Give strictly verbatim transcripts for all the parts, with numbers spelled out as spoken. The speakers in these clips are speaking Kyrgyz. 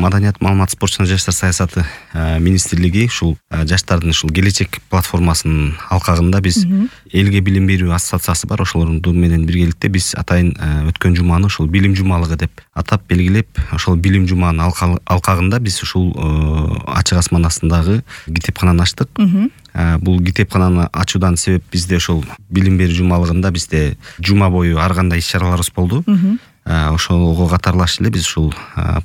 Маданият, маалымат, спорт жана жаштар саясаты министрлиги ушул жаштардын ушул келечек платформасынын алкагында биз элге билим берүү ассоциациясы бар. Ошолорду менен биргеликте биз атайын өткөн жуманы ушул билим жумалыгы деп атап белгилеп, ошол билим жуманын алкагында биз ушул ачык асман астындагы китепкананы ачтык. Бул китепкананы ачуудан себеп бизде ошол билим берүү жумалыгында бизде жума бою ар кандай иш-чараларыбыз болду. Ошого катарлаш эле биз ушул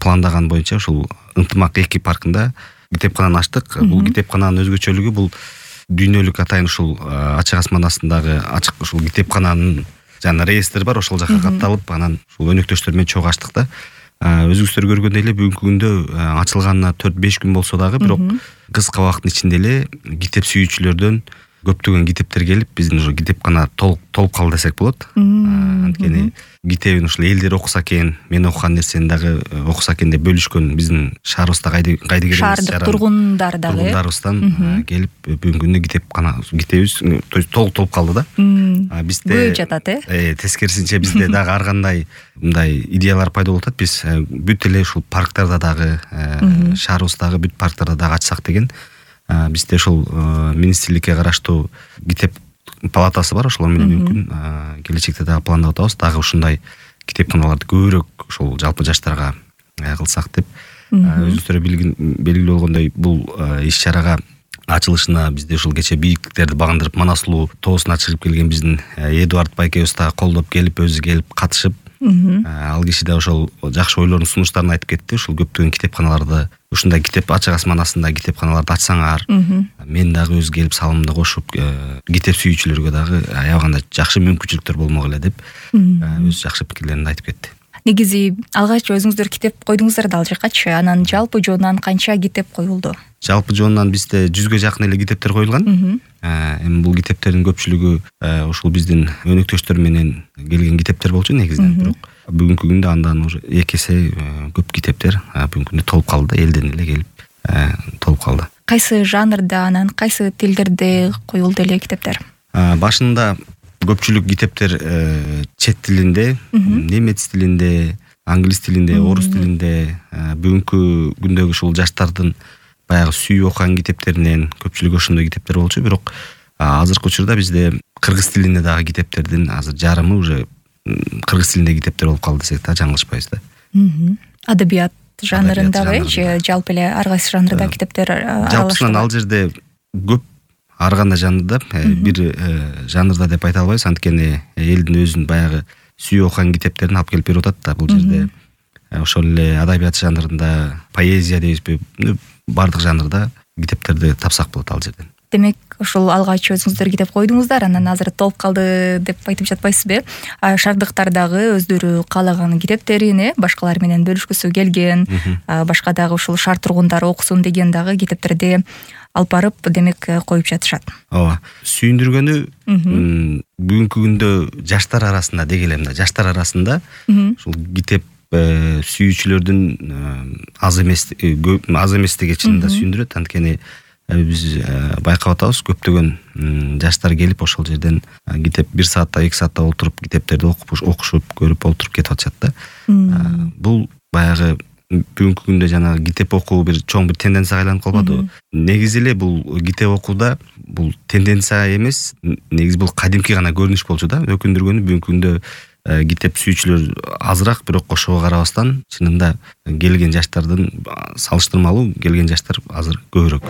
пландаган боюнча ушул Ынтымак эки паркында китепкананы ачтык. Бул китепкананын өзгөчөлүгү бул дүйнөлүк атайын ушул ачык асман астындагы ачык ушул китепкананын жана реестри бар, ошол жака катталып, анан ушул өнөктөштөр менен чогуу ачтык да. Өзүңүздөр көргөндөй эле бүгүнкү күндө ачылганына төрт беш күн болсо дагы, бирок кыска убакыттын ичинде эле китеп сүйүүчүлөрдөн көптөгөн китептер келип, биздин ушу китепкана толуп толуп калды десек болот. Анткени китебин ушул элдер окуса экен, мен окуган нерсени дагы окуса экен деп бөлүшкөн биздин шаарыбызда кайдыгер шаардык тургундар дагы тургундарыбыздан келип бүгүнкү күндө китепкана китебибиз толук толуп калды да. Бизде көбөйүп жатат, э? Тескерисинче бизде дагы ар кандай мындай идеялар пайда болуп атат. Биз бүт эле ушул парктарда дагы, шаарыбыздагы бүт парктарда дагы ачсак деген. Бизде ушул министрликке караштуу китеп палатасы бар, ошолор менен мүмкүн келечекте дагы пландап атабыз. Дагы ушундай китепканаларды көбүрөөк ушул жалпы жаштарга кылсак деп. Өзүңүздөр белгилүү болгондой, бул иш-чарага ачылышына бизде ушул кече бийиктиктерди багындырып Манас сулуу тоосуна чыгып келген биздин Эдуард байкебиз дагы колдоп келип, өзү келип катышып, ал киши да ошол жакшы ойлорун, сунуштарын айтып кетти. Ушул көптөгөн китепканаларды, ушундай китеп ачык асман астында китепканаларды ачсаңар, мен дагы өз келип салымымды кошуп, китеп сүйүүчүлөргө дагы аябаганда жакшы мүмкүнчүлүктөр болмок эле деп өз жакшы пикирлерин айтып кетти. Негизи алгач өзүңүздөр китеп койдуңуздар да ал жакачы, анан жалпы жоондан канча китеп коюлду? Жалпы жоондан бизде жүзгө жакын эле китептер коюлган. Эми бул китептердин көпчүлүгү ушул биздин өнөктөштөр менен келген китептер болчу негизинен, бирок бүгүнкү күндө андан уже эки эсе көп китептер бүгүнкү күндө толуп калды, элден эле келип толуп калды. Кайсы жанрда, анан кайсы тилдерде коюлду эле китептер? Башында көпчүлүк китептер чет тилинде, немец тилинде, англис тилинде, орус тилинде. Бүгүнкү күндөгү ушул жаштардын баягы сүйүп окуган китептеринен көпчүлүгү ошондой китептер болчу, бирок азыркы учурда бизде кыргыз тилинде дагы китептердин азыр жарымы уже кыргыз тилинде китептер болуп калды десек да жаңылышпайбыз да. Адабият жанрындагы же жалпы эле ар кайсы жанрда китептер аралаштырылат? Жалпысынан ал жерде көп, ар кандай жанрда, бир жанрда деп айта албайбыз, анткени элдин өзүнүн баягы сүйүп окуган китептерин алып келип берип атат да. Бул жерде ошол эле адабият жанрында, поэзия дейбизби, бардык жанрда китептерди тапсак болот ал жерден. Демек, ошол алгач өзүңүздөр китеп койдуңуздар, анан азыр толуп калды деп айтып жатпайсызбы? Шаардыктар дагы өздөрү каалаган китептерин башкалар менен бөлүшкүсү келген, башка дагы ушул шаар тургундары окусун деген дагы китептерди алып барып, демек, коюп жатышат. Ооба. Сүйүндүргөнү бүгүнкү күндө жаштар арасында деги эле мында, жаштар арасында ушул китеп сүйүүчүлөрдүн аз эмес аз эместиги чынында сүйүндүрөт. Анткени биз байкап атабыз, көптөгөн жаштар келип ошол жерден китеп бир саатта, эки саатта отуруп китептерди окуп, окушуп, көрүп отуруп кетип атышат да. Бул баягы бүгүнкү күндө жана китеп окуу бир чоң бир тенденцияга айланып калбадыбы? Негизи эле бул китеп окууда бул тенденция эмес, негизи бул кадимки гана көрүнүш болчу да. Өкүндүргөнү бүгүнкү күндө китеп сүйүүчүлөр азыраак, бирок ошого карабастан чынында келген жаштардын салыштырмалуу келген жаштар азыр көбүрөөк.